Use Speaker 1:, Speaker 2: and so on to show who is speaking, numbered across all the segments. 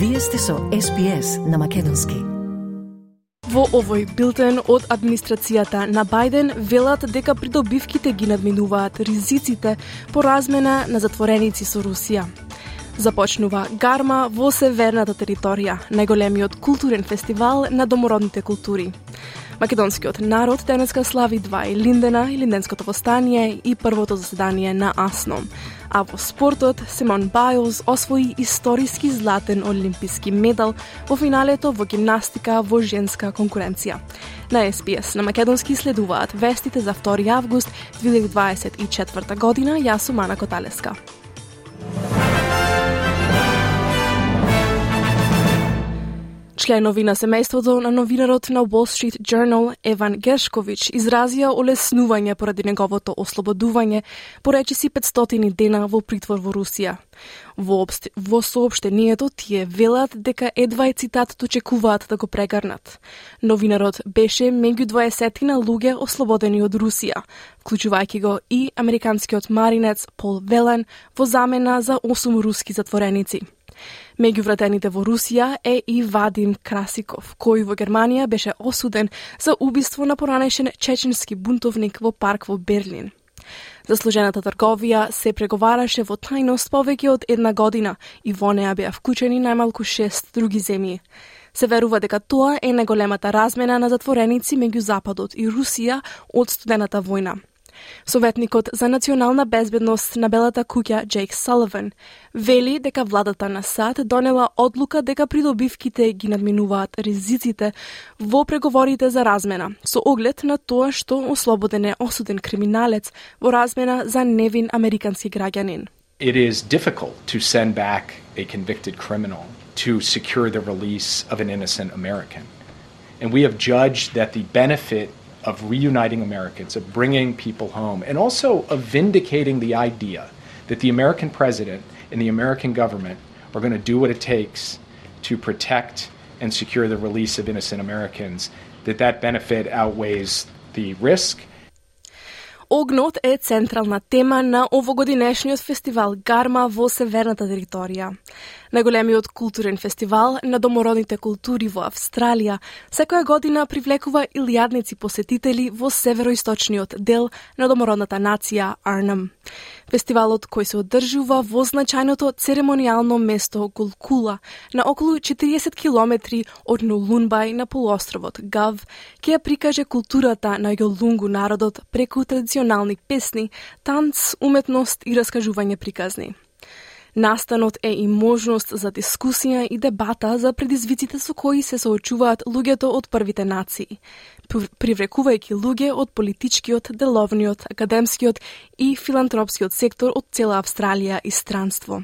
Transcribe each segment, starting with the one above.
Speaker 1: Вие сте со SPS на македонски.
Speaker 2: Во овој билтен од администрацијата на Бајден велат дека придобивките ги надминуваат ризиците по размена на затвореници со Русија. Започнува гарма во северната територија, најголемиот културен фестивал на домородните култури. Македонскиот народ денеска слави два Илиндена, Илинденското востание и првото заседание на АСНОМ. А во спортот, Симон Бајлс освои историски златен олимписки медал во финалето во гимнастика во женска конкуренција. На SPS на македонски следуваат вестите за 2 август 2024 година. Јас сум Ана Коталеска. Членови на семејството на новинарот на Wall Street Journal Еван Гершкович изразија олеснување поради неговото ослободување по речиси 500 дена во притвор во Русија. Во соопштението тие велат дека едва е цитатот очекуваат да го прегарнат. Новинарот беше меѓу 20 луѓе ослободени од Русија, вклучувајќи го и американскиот маринец Пол Велен во замена за 8 руски затвореници. Меѓу вратените во Русија е и Вадим Красиков, кој во Германија беше осуден за убиство на поранешен чеченски бунтовник во парк во Берлин. Заслужената трговија се преговараше во тајност повеќе од 1 година и во неа беа вклучени најмалку 6 други земји. Се верува дека тоа е најголемата размена на затвореници меѓу Западот и Русија од студената војна. Советникот за национална безбедност на Белата куќа Джейк Саливан вели дека владата на САД донела одлука дека придобивките ги надминуваат ризиците во преговорите за размена, со оглед на тоа што ослободен е осуден криминалец во размена за невин американски граѓанин.
Speaker 3: It is difficult to send back a convicted criminal to secure the release of an innocent American. And we have judged that the benefit of reuniting Americans, of bringing people home, and also of vindicating the idea that the American president and the American government are going to do what it takes to protect and secure the release of innocent Americans, that benefit outweighs the risk.
Speaker 2: Огнот е централна тема на овогодинешниот фестивал Гарма во северната територија. Најголемиот културен фестивал на домородните култури во Австралија секоја година привлекува илјадници посетители во североисточниот дел на домородната нација Арнем. Фестивалот кој се одржува во значајното церемонијално место Гулкула на околу 40 километри од Нулунбај на полуостровот Гав ќе ја прикаже културата на јолунгу народот преку традиционални песни, танц, уметност и раскажување приказни. Настанот е и можност за дискусија и дебата за предизвиците со кои се соочуваат луѓето од првите нации, привлекувајќи луѓе од политичкиот, деловниот, академскиот и филантропскиот сектор од цела Австралија и странство.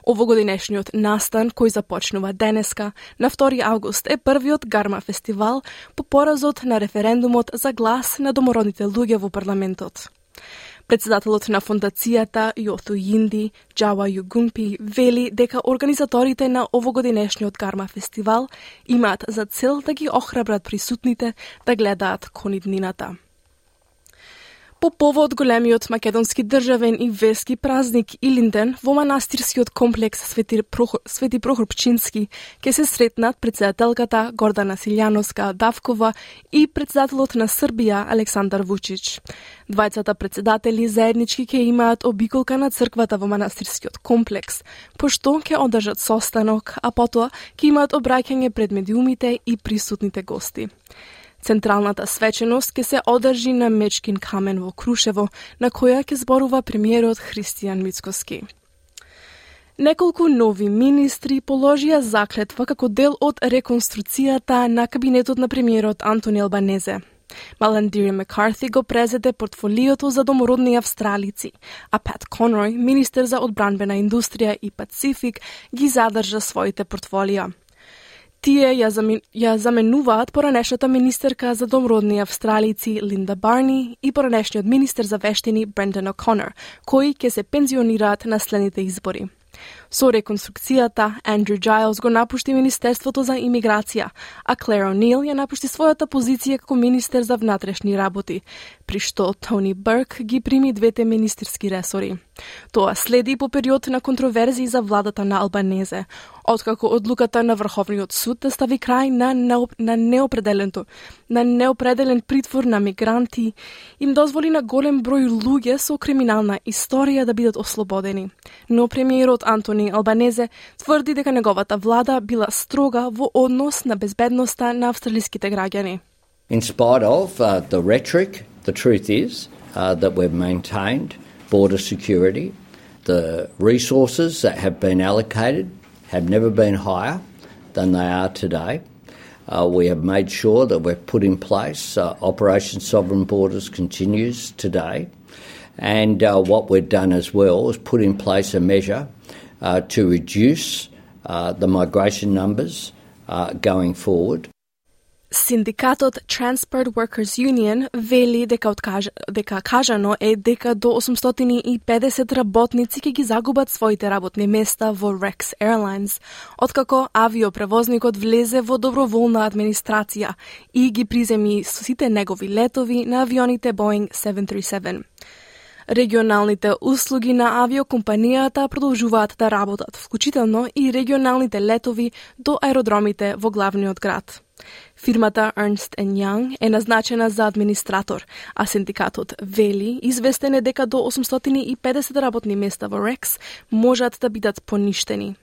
Speaker 2: Овогодинешниот настан, кој започнува денеска, на 2 август, е првиот Гарма фестивал по поразот на референдумот за глас на домородните луѓе во парламентот. Председателот на фондацијата Јоту Јинди, Джава Југумпи, вели дека организаторите на овогодинешниот Гарма фестивал имаат за цел да ги охрабрат присутните да гледаат кон иднината. По повод големиот македонски државен и верски празник Илинден во манастирскиот комплекс Свети Прохор Пчински ќе се сретнат председателката Гордана Силјановска Давкова и председателот на Србија Александар Вучич. Двајцата председатели заеднички ќе имаат обиколка на црквата во манастирскиот комплекс, пошто ќе одржат состанок, а потоа ќе имаат обраќање пред медиумите и присутните гости. Централната свеченост ќе се одржи на Мечкин камен во Крушево, на која ќе зборува премиерот Христијан Мицкоски. Неколку нови министри положија заклетва како дел од реконструкцијата на кабинетот на премиерот Антони Албанезе. Маландири Маккарти го презеде портфолиото за домородни австралици, а Пат Конрој, министер за одбранбена индустрија и Пацифик, ги задржа своите портфолија. Тие ја заменуваат поранешната министерка за домородни австралици Линда Барни и поранешниот министер за вештини Брендан О'Конор, кои ќе се пензионираат на следните избори. Со реконструкцијата, Андрю Giles го напушти Министерството за имиграција, а Claire O'Neill ја напушти својата позиција како министер за внатрешни работи, при што Тони Бурк ги прими двете министерски ресори. Тоа следи по период на контроверзии за владата на Албанезе, откако одлуката на Врховниот суд да стави крај на неопределен притвор на мигранти им дозволи на голем број луѓе со криминална историја да бидат ослободени. Но премиерот Антони Албанезе тврди дека неговата влада била строга во однос на безбедноста на австралиските граѓани.
Speaker 4: In spite of the rhetoric, the truth is that we've maintained border security. The resources that have been allocated have never been higher than they are today. We have made sure that we've put in place Operation Sovereign Borders continues today. And what we've done as well is put in place a measure to reduce the migration numbers going forward.
Speaker 2: Синдикатот Transport Workers Union вели дека кажано е дека до 850 работници ќе ги загубат своите работни места во Rex Airlines, откако авиопревозникот влезе во доброволна администрација и ги приземи со сите негови летови на авионите Boeing 737. Регионалните услуги на авиокомпанијата продолжуваат да работат, вклучително и регионалните летови до аеродромите во главниот град. Фирмата Ernst & Young е назначена за администратор, а синдикатот вели известен е дека до 850 работни места во Rex можат да бидат поништени.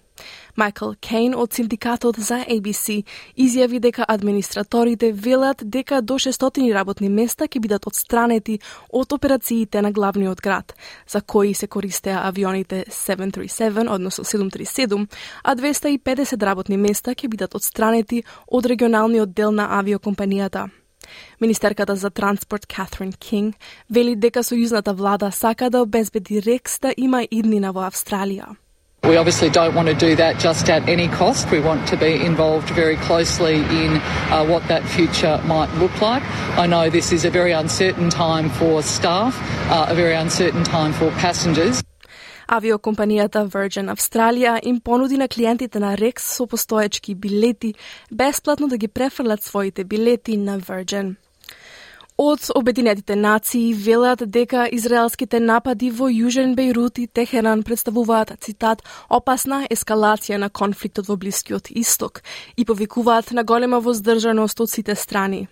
Speaker 2: Майкл Кейн од синдикатот за ABC изјави дека администраторите велат дека до 600 работни места ќе бидат отстранети од операциите на главниот град, за кои се користеа авионите 737, односно 737, а 250 работни места ќе бидат отстранети од регионалниот дел на авиокомпанијата. Министерката за транспорт Catherine King вели дека сојузната влада сака да обезбеди Rex да има иднина во Австралија.
Speaker 5: We obviously don't want to do that just at any cost. We want to be involved very closely in what that future might look like. I know this is a very uncertain time for staff, a very uncertain time for passengers.
Speaker 2: Авиокомпанијата Virgin Australia им понуди на клиентите на Rex со постоечки билети бесплатно да ги префрлат своите билети на Virgin. Од Обединетите нации велат дека израелските напади во Јужен Бејрут и Техеран представуваат, цитат, опасна ескалација на конфликтот во Блискиот Исток и повикуваат на голема воздржаност од сите страни.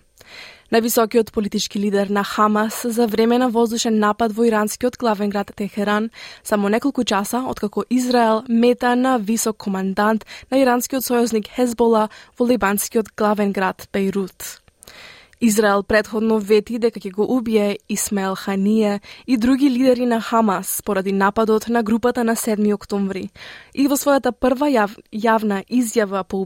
Speaker 2: Највисокиот политички лидер на Хамас за време на воздушен напад во иранскиот главен град Техеран, само неколку часа откако Израел мета на висок командант на иранскиот сојузник Хезбола во либанскиот главен град Бејрут. Израел претходно вети дека ќе го убие Исмаел Ханија и други лидери на Хамас поради нападот на групата на 7 октомври. И во својата прва јавна изјава по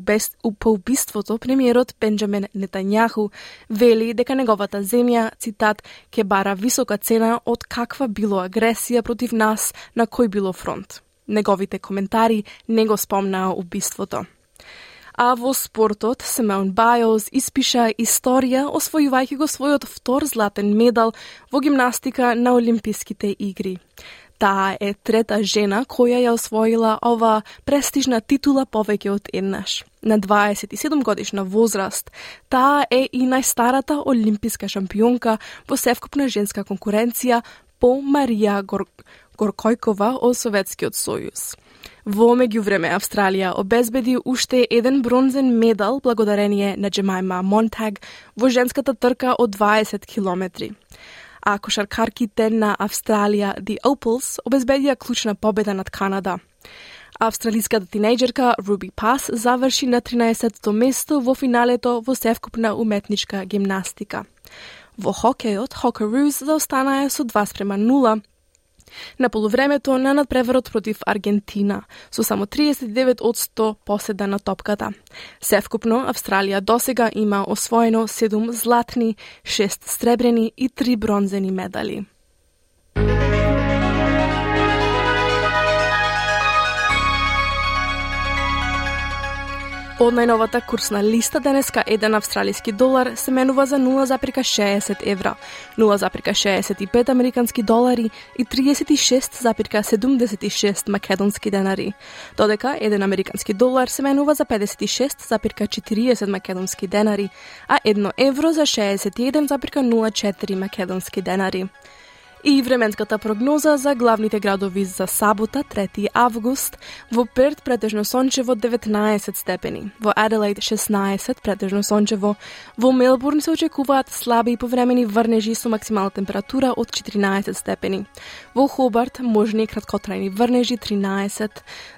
Speaker 2: убиството, премиерот Бенџамин Нетањаху вели дека неговата земја, цитат, ќе бара висока цена од каква било агресија против нас на кој било фронт. Неговите коментари не го спомнаа убиството. А во спортот, Симеон Бајлс испиша историја освојувајќи го својот втор златен медал во гимнастика на Олимписките игри. Таа е трета жена која ја освоила ова престижна титула повеќе од еднаш. На 27 годишна возраст, таа е и најстарата олимписка шампионка во севкупна женска конкуренција по Марија Горкојкова од Советскиот сојуз. Во меѓувреме Австралија обезбеди уште еден бронзен медал благодарение на Джемајма Монтаг во женската трка од 20 километри. А кошаркарките на Австралија The Opals обезбедија клучна победа над Канада. Австралиската тинејџерка Руби Пас заврши на 13-то место во финалето во севкупна уметничка гимнастика. Во хокејот, Hockeyroos заостанаа со 2:0 на полувремето на надпреварот против Аргентина, со само 39% поседа на топката. Севкупно, Австралија досега има освоено 7 златни, 6 сребрени и 3 бронзени медали. Од најновата курсна листа денеска 1 австралиски долар се менува за 0,60 евра, 0,65 американски долари и 36,76 македонски денари, додека 1 американски долар се менува за 56,40 македонски денари, а 1 евро за 61,04 македонски денари. И временската прогноза за главните градови за сабота, 3 август, во Перт претежно сончево 19 степени, во Аделаид 16 претежно сончево, во Мелбурн се очекуваат слаби и повремени врнежи со максимална температура од 14 степени, во Хобарт можни краткотрајни врнежи 13,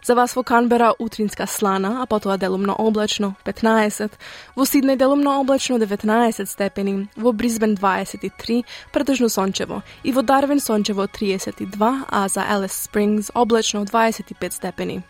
Speaker 2: за вас во Канбера утринска слана, а потоа делумно облачно 15, во Сиднеј делумно облачно 19 степени, во Брисбен 23 претежно сончево и во Дарвин сончево 32, а за Алис Спрингс облачно 25 степени.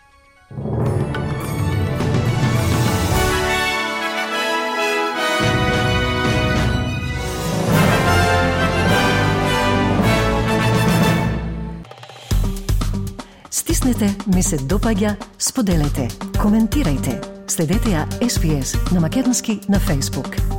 Speaker 1: Стиснете, ми се допаѓа, споделете, коментирајте. Следете ја SPS на Македонски на Facebook.